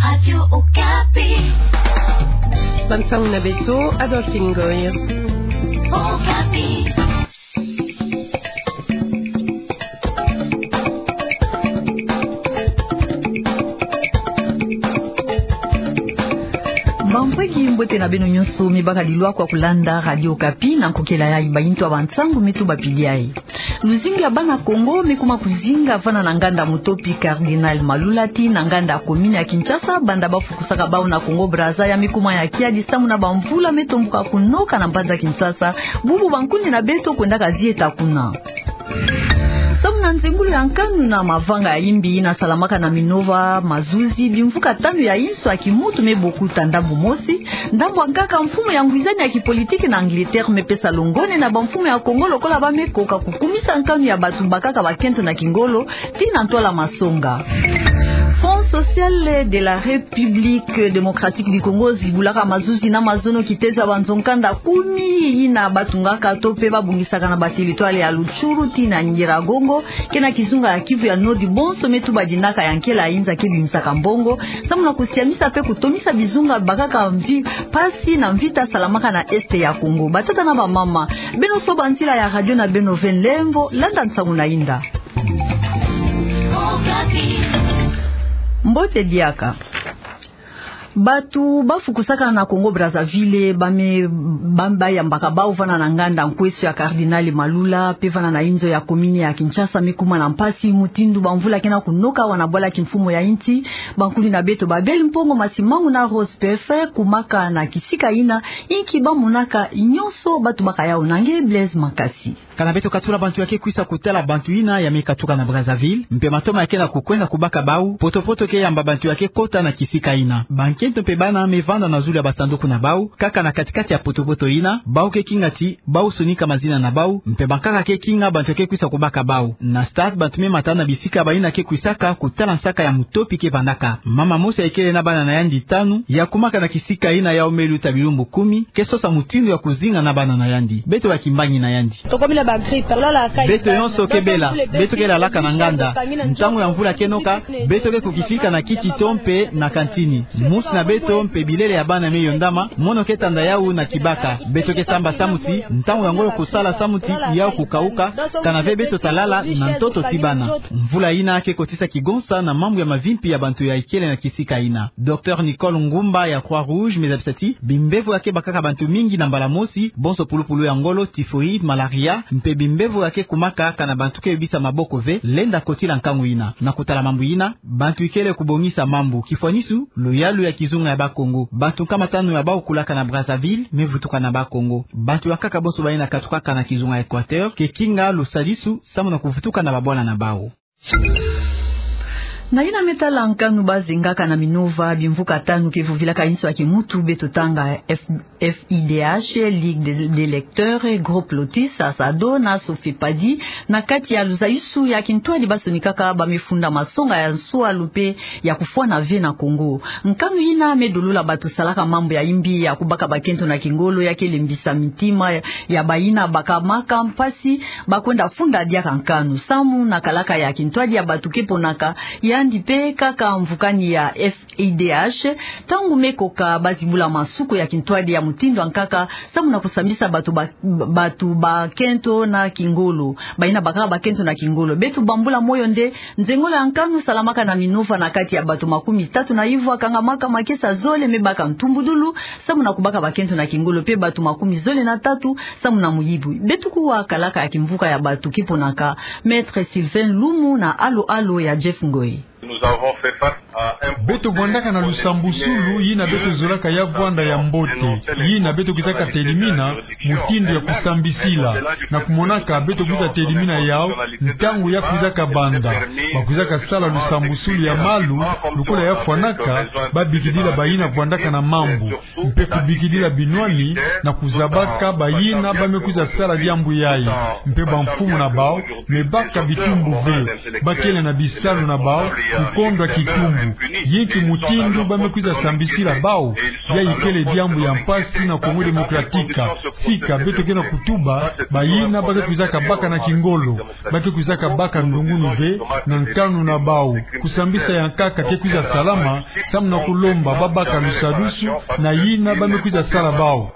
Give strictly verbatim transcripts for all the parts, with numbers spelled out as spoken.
Radio Okapi. Bansangu na beto, Adolphine Ngoy. Okapi. Bampweki, mbote na beno nyonso mi baka lilwa kwa kulanda Radio Okapi. Na nkokela yayi, bayintu ya bansangu mi tuba pili yayi. Luzingu ya bana Kongo mi kuma kuzinga vana na nganda Mutopi Cardinal Malula tii na nganda ya commune ya Kinshasa, banda bafukusaka bawu na Congo Brazza ya mi kuma ya kiadi samu na bamvula me tombuka kunoka na mbanza Kinshasa, bubu bankundi na beto kwendaka zieta kuna. Samu na nzengolo ya nkanu na mavanga ya imbi yina salamaka na Minova, mazuzi, bimvuka tanu ya inso ya kimuntu me bokuta. Ndambu mosi, ndambu ya nkaka mfumu ya ngwizani ya kipolitiki na Angleterre me pesa longone na bamfumu ya Kongo lokola ba me koka kukumisa nkanu ya bantu bakaka bakento na kingolo tii na ntwala masonga. Front Social de la République Démocratique du Congo zibulaka mazuzi na mazono kitezo ya banzo nkanda kumi yina batungaka to pe babongisaka na bateritware ya Rutshuru tii na Nyiragongo, ke na kizunga ya Kivu ya Nord, bonso me tuba dinaka ya nkela ya inza ke bimisaka mbongo samu na kusiamisa pe kutomisa bizunga bakaka mvi- mpasi na mvita salamaka na Est ya Congo. Batata na bamama, beno soba ntila ya radio na beno ve nlemvo, landa nsangu na inda. Mbote diaka. Bantu bafukusaka na Congo Brazzaville, ba me, ba, bayambaka bawu vana na nganda nkweso ya Cardinal Malula pe vana na inzo ya commune ya Kinshasa me kuma na mpasi mutindu bamvula ke na kunoka awa na bwala kimfumu ya insi. Bankundi na beto Babel Mpongo Masimangu na Rose Pefe kumaka na kisika yina, inki ba monaka nyonso, ba tubaka yawu na nge Blaise Makasi. Kana beto katula bantu ya ke kwisa kutala bantu yina ya me katuka na Brazzaville, mpe matoma ya ke na kukwenda kubaka bawu, poto-poto ke yamba bantu ya ke kota na kisika yina. Bankento mpe bana me vanda na zulu ya basanduku na bawu, kaka na kati-kati ya poto-poto yina, bawu ke kinga ti bawu sonika mazina na bawu, mpe bankaka ke kinga bantu ya ke kwisa kubaka bawu. Na stade, bantu me mata na bisika bayina ke kwisaka kutala nsaka ya Mutopi ke vandaka. Mama mosi ya ikele na bana na yandi tanu, ya kumaka na kisika yina, yawu me luta bilumbu kumi, ke sosa mutindu ya kuzinga na bana na yandi. Beto bakimbangi na yandi. Beto nyonso ke bela, beto ke lalaka na nganda. Ntangu ya mvula ke noka, beto ke kukifika na kiti to mpe na kantini. Musi na beto mpe bilele ya bana me yondama, mono ke tanda yawu na kibaka. Beto ke samba samu ti ntangu ya ngolo kusala samu ti yawu kukawuka, kana ve beto ta lala na ntoto ti bana. Mvula yina ke kotisa kigonsa na mambu ya mavimpi ya bantu ya ikele na kisika yina. Docteur Nicole Ngumba ya Croix-Rouge me zabisa ti bimbevo ya ke bakaka bantu mingi na mbala mosi, bonso pulupulu ya ngolo, typhoïde, malaria, mpe bimbevo ya ke kumaka kana bantu ke yobisa maboko ve, lenda kotila nkangu yina. Na kutala mambu yina, bantu ikele kubongisa mambu. Kifwanisu, luyalu ya kizunga ya Bakongo. Bantu nkama tanu ya bawu kulaka na Brazzaville me vutuka na Bakongo. Bantu ya nkaka bonso bayina katukaka na kizunga ya Équateur ke kinga lusadisu samu na kuvutuka na babwala na bawu. Na yina me tala nkanu bazengaka na Minova, bimvuka tanu ke vuvilaka inso ya kimuntu, beto tanga F-, F I D H, Ligue des, des lecteurs, Groupe Lotus, Asado na Sofepadi, na kati ya luzayusu ya kintwadi basonikaka ba me funda masonga ya nswalu mpe ya kufwana ve na Kongo. Nkanu yina me dolula bantu salaka mambu ya imbi ya kubaka bakento na kingolo ya ke lembisa mitima ya, ya bayina bakamaka mpasi ba kwenda funda diaka nkanu. Samu na kalaka ya kintwadi ya bantu ke ponaka yandi mpe kaka mvukani ya F I D H, ntangu me koka bazibula masuku ya kintwadi ya mutindu ya nkaka, samu na kusambisa bantu ba, bantu bakento na kingolo. Bayina bakaka bakento na kingolo. Beto bambula moyo nde, nzengolo ya nkanu salamaka na Minova na kati ya bantu makumi tatu na ivwa kangamaka makesa zole me baka ntumbudulu, samu na kubaka bakento na kingolo, mpe bantu makumi zole na tatu samu na muyibu. Beto kuwa kalaka ya kimvuka ya bantu ke ponaka, Maître Sylvain Lumu na Alo Alo ya Jeff Ngoy. Beto vwandaka na lusambusulu yina beto zolaka ya vwanda ya mbote, yina beto kwisaka telimina mutindu ya kusambisila, na kumonaka beto kwiza telimina yawu ntangu ya kwizaka banda. Ba kwizaka sala lusambusulu ya malu, lokola ya fwanaka, ba bikidila bayina vwandaka na mambu, mpe kubikidila binwani na kuzabaka bayina ba me kwiza sala diambu yayi, mpe bamfumu na bawu me baka bitumbu ve, ba kele na bisalu na bawu, Kukondwa kitumbu, yinki mutindu ba me kwiza sambisila bawu? Yayi kele diambu ya mpasi na Congo Démocratique. Sika beto ke na kutuba, bayina ba ke kwizaka baka na kingolo, ba ke kwizaka baka ndungunu ve na nkanu na bawu. Kusambisa ya nkaka ke kwiza salama, samu na kulomba ba baka lusadusu na yina ba me kwiza sala bawu.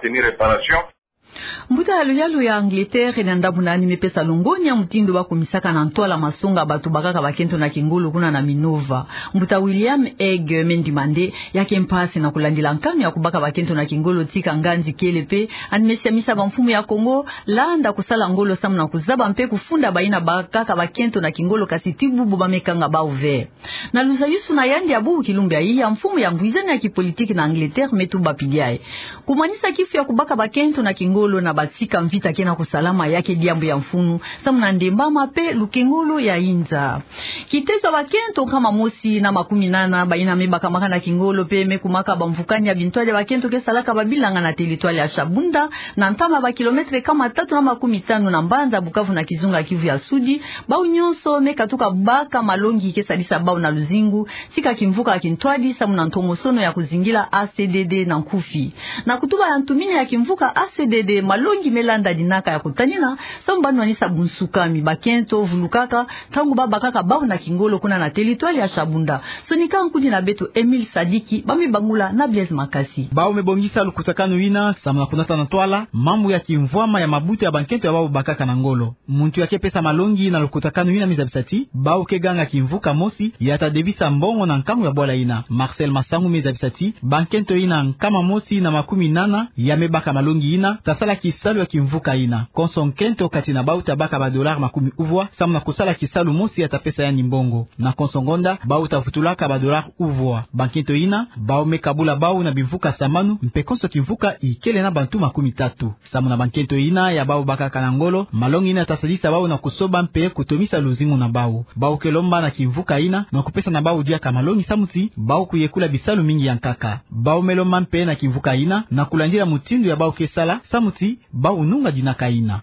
Mbuta ya luyalu ya Angleterre na ndambu nani me pesa longonya mutindu ba kumisaka na ntwala masonga bato bakaka bakento na kingolo kuna na Minova. Mbuta William Hague me ndima nde ya ke mpasi na kulandila nkanu ya kubaka bakento na kingolo tika nganzi kele pe yandi me siamisa bamfumu ya Congo landa kusala ngolo samu na kuzaba mpe kufunda bayina bakaka bakento na kingolo kasi ti bubu ba me kanga bawu ve. Na luzayusu na yandi ya bubu kilumbu yayi, ya mfumu ya ngwizani ya kipolitiki na Angleterre me tuba pidi yayi: kumanisa kifu ya kubaka bakento na kingolo na basika mvita ke na kusalama ya ke diambu ya mfunu, samu na ndembama mpe lukengolo ya inza. Kitezo ya bakento nkama mosi na makumi nana bayina me bakamaka na kingolo mpe me kumaka bamvukani ya bintwadi ya bakento ke salaka babilanga na teritware ya Shabunda, na ntama ya bakilometre nkama tatu na makumi tanu na mbanza Bukavu na kizunga Kivu ya Sudi, bawu nyonso me katuka baka malongi ke salisa bawu na luzingu, tika kimvuka ya kintwadi samu na ntomosono ya kuzingila A C D D na nkufi. Na kutuba ya ntumini ya kimvuka A C D D, malongi me landa dinaka ya kutanina samu ba nwanisa bunsukami bakento vulukaka ntangu ba bakaka bawu na kingolo kuna na teritware ya Shabunda. Sonika nkudi na beto Emile Sadiki, ba me bangula na Blaise Makasi. Bawu me bongisa lukutakanu yina samu na kunata na ntwala mambu ya kimvwama ya mabuta ya bankento ya bawu bakaka na ngolo. Muntu ya ke pesa malongi na lukutakanu yina me zabisa ti bawu ke ganga kimvuka mosi ya ta debisa mbongo na nkangu ya bwala yina. Marcel Masangu me zabisa ti bankento yina nkama mosi na makumi nana ya me baka malongi yina ta sala kisalu ya kimvuka yina. Konso nkento kati na bawu ta baka ba dollars makumi uvwa samu na kusala kisalu mosi ya ta pesa yandi mbongo. Na konso ngonda, bawu ta vutulaka ba dollars uvwa. Bankento yina, bawu me kabula bawu na bimvuka sambanu, mpe konso kimvuka ikele na bantu makumi tatu. Samu na bankento yina ya bawu bakaka na ngolo, malongi yina ta salisa bawu na kusoba mpe kutomisa luzingu na bawu. Bawu ke lomba na kimvuka yina na kupesa na bawu diaka malongi samu ti bawu kuyekula bisalu mingi ya nkaka. Bawu me lomba mpe na kimvuka yina na kulandila mutindu ya bawu ke sala samu ti bawu nunga dinaka yina.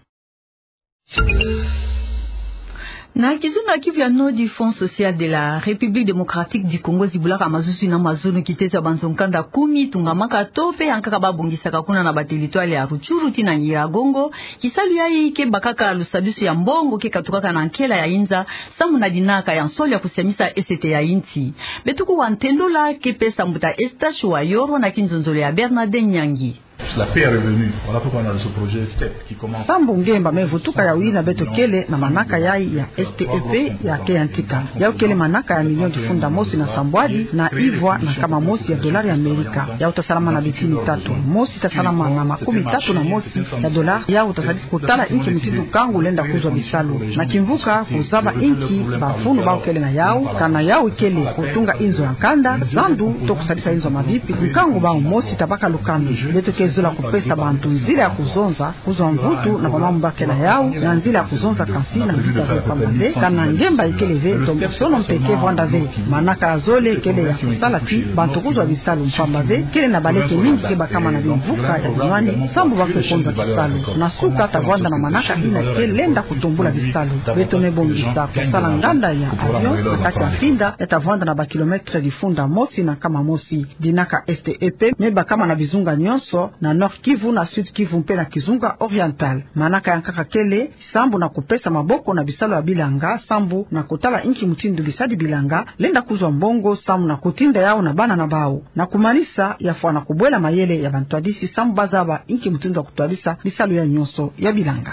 Na kizunga Kivu ya Nord, Fonds Social de la République Démocratique du Congo zibulaka mazuzi na mazono kitezo ya banzo nkanda kumi tungamaka to mpe ya nkaka ba bongisaka kuna na ba territoire ya Rutshuru tii na Nyiragongo. Kisalu yayi ke bakaka lusadusu ya mbongo ke katukaka na nkela ya inza samu na dinaka ya nsolo ya kusiamisa esete ya insi. Beto kuwa ntendola ke pesa mbuta Eustache Wayoro na kinzonzolo ya Bernardin Nyangi. La paix est revenue. Voilà pourquoi on a ce projet step qui commence. Sambu ngemba me vutuka, yawu yina beto kele na manaka yayi ya S T E P ya ke yantika. Yawu kele manaka ya milioni kifunda mosi na sambwadi na ivwa na nkama mosi ya dollars ya Amerika. Yawu ta salama na bitini tatu. Mosi ta salama na makumi tatu na mosi ya dollars. Yawu ta sadisa kutala inki mutindu nkangu lenda kuzwa bisalu. Na kimvuka kuzaba inki bamfunu bawu kele na yawu, kana yawu kele kutunga inzo ya nkanda, zandu, to kusadisa inzo ya mabipi, nkangu bawu mosi ta baka lukanu. Beto ke zola kupesa bantu nzila ya kuzonza, kuzwa mvutu na bamambu ba ke na yawu, na nzila ya kuzonza kansi na mvita ve mpamba ve, kana ngemba ikele ve, ntombosono mpe ke vwanda ve. Manaka ya zole kele ya kusala ti bantu kuzwa bisalu mpamba ve, kele na baleke mingi ke bakama na bimvuka ya binwani, sambu ba ke kondwa kisalu. Na suka ta vwanda na manaka yina ke lenda kutumbula bisalu. Beto me bongisa kusala nganda ya avion na kati ya mfinda, ya ta vwanda na ba kilomètre difunda mosi na nkama mosi. Dinaka S T E P me bakama na bizunga nyonso, na Nord-Kivu, na Sud-Kivu mpe na Kizunga Oriental. Manaka ya nkaka kele sambu na kupesa maboko na bisalu ya bilanga, sambu na kutala inki mutindu bisadi bilanga lenda kuzwa mbongo, sambu na kutinda yawu na bana na bawu. Na kumanisa, ya fwana kubwela mayele ya bantwadisi, sambu ba zaba inki mutindu ya kutwadisa bisalu yayi nyonso ya bilanga.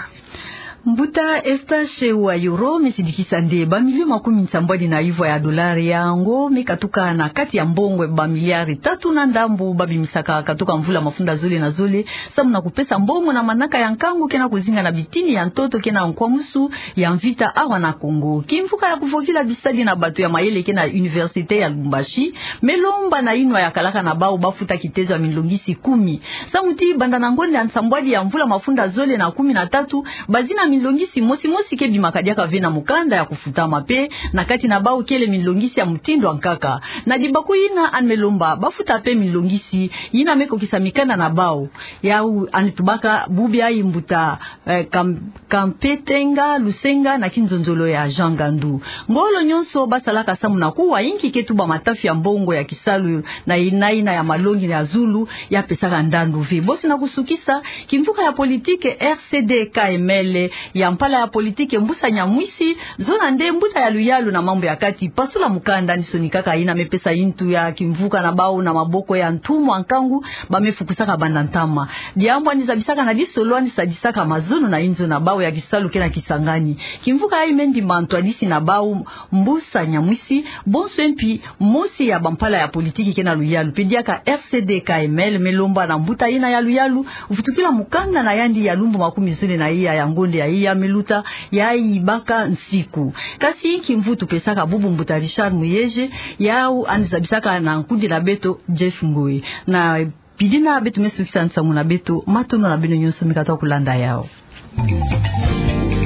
Mbuta Eustache Wayoro me sidikisa nde ba milio makumi nsambwadi na ivwa ya dollars, yango me katuka na kati ya mbongo ba miliari tatu na ndambu ba bimisaka katuka mvula mafunda zole na zole, sambu na kupesa mbongo na manaka ya nkangu ke na kuzinga na bitini ya ntoto ke na nkwamusu ya mvita awa na Congo. Kimvuka ya kuvovila bisadi na bato ya mayele ke na Université ya Lubumbashi me lomba na inwa ya kalaka na bawu ba futa kitezo ya minlongisi kumi. Sambu ti banda na ngonda ya nsambwadi ya mvula mafunda zole na kumi na tatu, bazina Minlongisi mosi mosi ke bimaka diaka ve na mukanda ya kufutama pe, na kati na bau kele minlongisi ya mutindu ya nkaka. Na dibaku yina, yandi me lomba bafuta pe minlongisi yina me kokisa mikanda na bau. Yau yandi tubaka bubu ya mbuta, eh, Kam-, Kampetenga Lusenga na kinzonzolo ya Jean Ngandu. Ngolo nyonso basalaka samu na kuwa, inki ke tuba matafi ya mbongo ya kisalu na yina yina ya malongi ya zulu, ya pesaka ndandu ve. Bosi na kusukisa, kimvuka ya politike R C D K M L ya mpala ya politike Mbusa Nyamwisi, zona nde mbuta ya luyalu na mambu ya kati pasula mukanda, ni sonikaka yina me pesa yintu ya kimvuka na bau na maboko ya ntumwa nkangu, ba me fukusaka banda ntama. Diambu yandi zabisaka na disolo, yandi sadisaka mazono na inzo na bau ya kisalu ke na Kisangani. Kimvuka yayi me ndimba ntwadisi na bau Mbusa Nyamwisi, bonso mpi mosi ya bampala ya politiki ke na luyalu pe. Diaka R C D K M L me lomba na mbuta yina ya luyalu, vutukila mukanda na yandi ya lumbu makumi zole na iya ya ngonde ya iya me luta, ya yibaka nsiku. Kasi inki mvutu pesaka bubu mbuta Richard Muyeye, yau yandi zabisaka na nkudila beto Jeff Ngoi. Na pidina beto me sukisa nsangu na beto, matondo na beno nyonso mi katuka kulanda yau.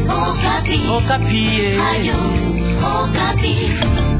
Okapi. Okapi, eh. Radio Okapi.